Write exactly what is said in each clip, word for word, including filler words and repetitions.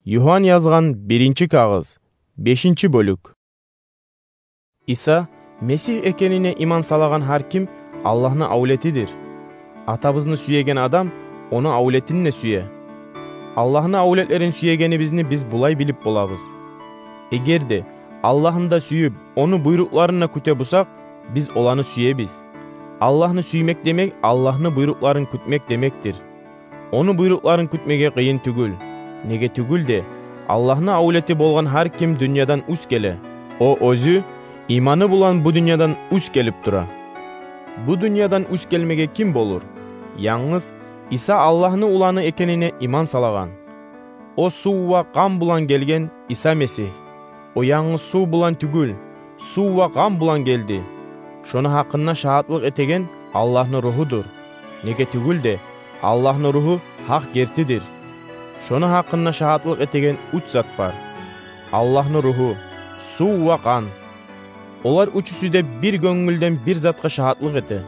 Юхан язгъан биринчи кагъыз, бешинчи бёлюк. Иса Месигь экенине иман салагъан гьар ким Аллагьны авлетидир. Атабызны сюеген адам ону авлетин де сюе. Аллагьны авлетлерин сюегенибизни биз булай билип болабыз: эгер де Аллагьны да сююп, ону буйрукъларын да кюте бусакъ, биз оланы сюебиз. Аллагьны сюймек демек Аллагьны буйрукъларын кютмек демекдир. Ону буйрукъларын кютмеге къыйын тюгюл. Неге тюгюл де, Аллагьны авлети болгъан гьар ким дюньядан уьст геле. О оьзю иманы булан бу дюньядан уьст гелип тура. Бу дюньядан уьст гелмеге ким болур? Янгыз Иса Аллагьны Уланы экенине иман салагъан. О сув ва къан булан гелген Иса Месигь. О янгыз сув булан тюгюл, сув ва къан булан гелди. Шону гьакъында шагьатлыкъ этеген Аллагьны Ругьудур. Неге тюгюл де, Аллагьны Ругьу гьакъ гертидир. Шону гьакъында шагьатлыкъ этеген уьч зат бар: Аллагьны Ругьу, сув ва къан. Олар уьчюсю де бир гёнгюлден бир затгъа шагьатлыкъ эте.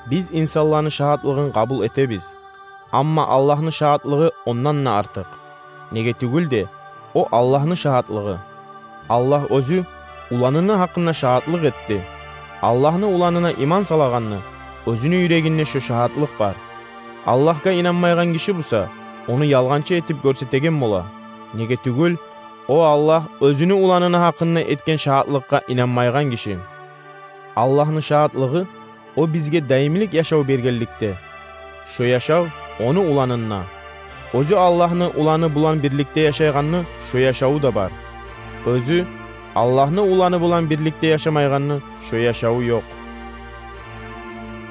Биз инсанланы шагьатлыгъын къабул этебиз. Амма Аллагьны шагьатлыгъы ондан да артыкъ. Неге тюгюл де, о Аллагьны шагьатлыгъы. Аллагь оьзю Уланыны гьакъында шагьатлыкъ этди. Аллагьны Уланына иман салагъанны оьзюню юрегинде шо шагьатлыкъ бар. Аллагьгъа инанмайгъан гиши буса, ону ялгъанчы этип гёрсетеген бола. Неге тюгюл, о Аллагь оьзюню Уланыны гьакъында этген шагьатлыкъгъа инанмайгъан гиши. Аллагьны шагьатлыгъы, о бизге даимлик яшав бергенликде. Шо яшав ону Уланында. Оьзю Аллагьны Уланы булан бирликде яшайгъанны шо яшаву да бар. Оьзю Аллагьны Уланы булан бирликде яшамайгъанны шо яшаву ёкъ.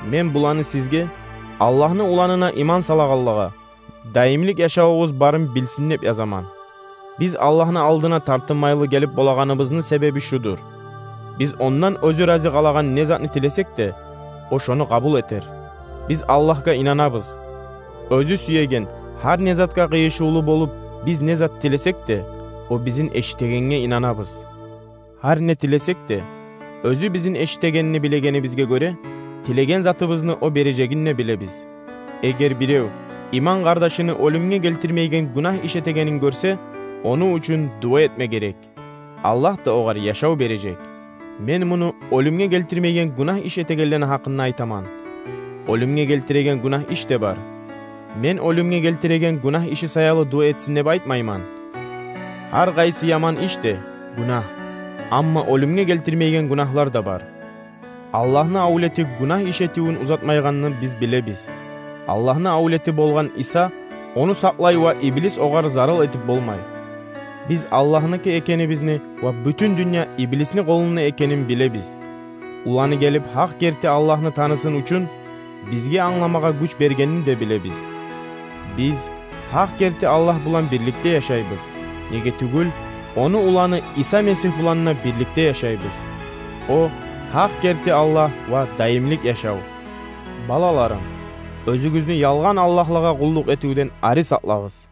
Мен буланы сизге, Аллагьны Уланына иман салагъанлагъа, даимлик яшавугъуз барын билсин деп язаман. Биз Аллагьны алдына тартынмайлы гелип болагъаныбызны себеби шудур: биз Ондан оьзю рази къалагъан не затны тилесек де, О шону къабул этер. Биз Аллагьгъа инанабыз. Оьзю сюеген гьар не затгъа къыйышывлу болуп, биз не зат тилесек де, О бизин эшитегенге инанабыз. Гьар не тилесек де, Оьзю бизин эшитегенни билегенибизге гёре, тилеген затыбызны О бережегин де билебиз. Эгер бирев иман къардашыны оьлюмге гелтирмейген гюнагь иш этегенин гёрсе, ону учун дуа этме герек. Аллагь да огъар яшав бережек. Мен муну оьлюмге гелтирмейген гюнагь иш этегенлени гьакъында айтаман. Оьлюмге гелтиреген гюнагь иш де бар. Мен оьлюмге гелтиреген гюнагь иши саялы дуа этсин деп айтмайман. Гьар къайсы яман иш де гюнагь. Амма оьлюмге гелтирмейген гюнагьлар да бар. Аллагьны авлети гюнагь иш этивюн узатмайгъанны биз билебиз. Аллагьны авлети болгъан Иса ону сакълай ва иблис огъар зарал этип болмай. Биз Аллагьныки экенибизни ва бютюн дюнья иблисни къолунда экенин билебиз. Уланы гелип, гьакъ герти Аллагьны танысын учун, бизге англамагъа гюч бергенин де билебиз. Биз гьакъ герти Аллагь булан бирликде яшайбыз. Неге тюгюл, Ону Уланы Иса Месигь булан да бирликде яшайбыз. О гьакъ герти Аллагь ва даимлик яшав. Балаларым, оьзюгюзню ялгъан аллагьлагъа къуллукъ этивден ари сакълагъыз.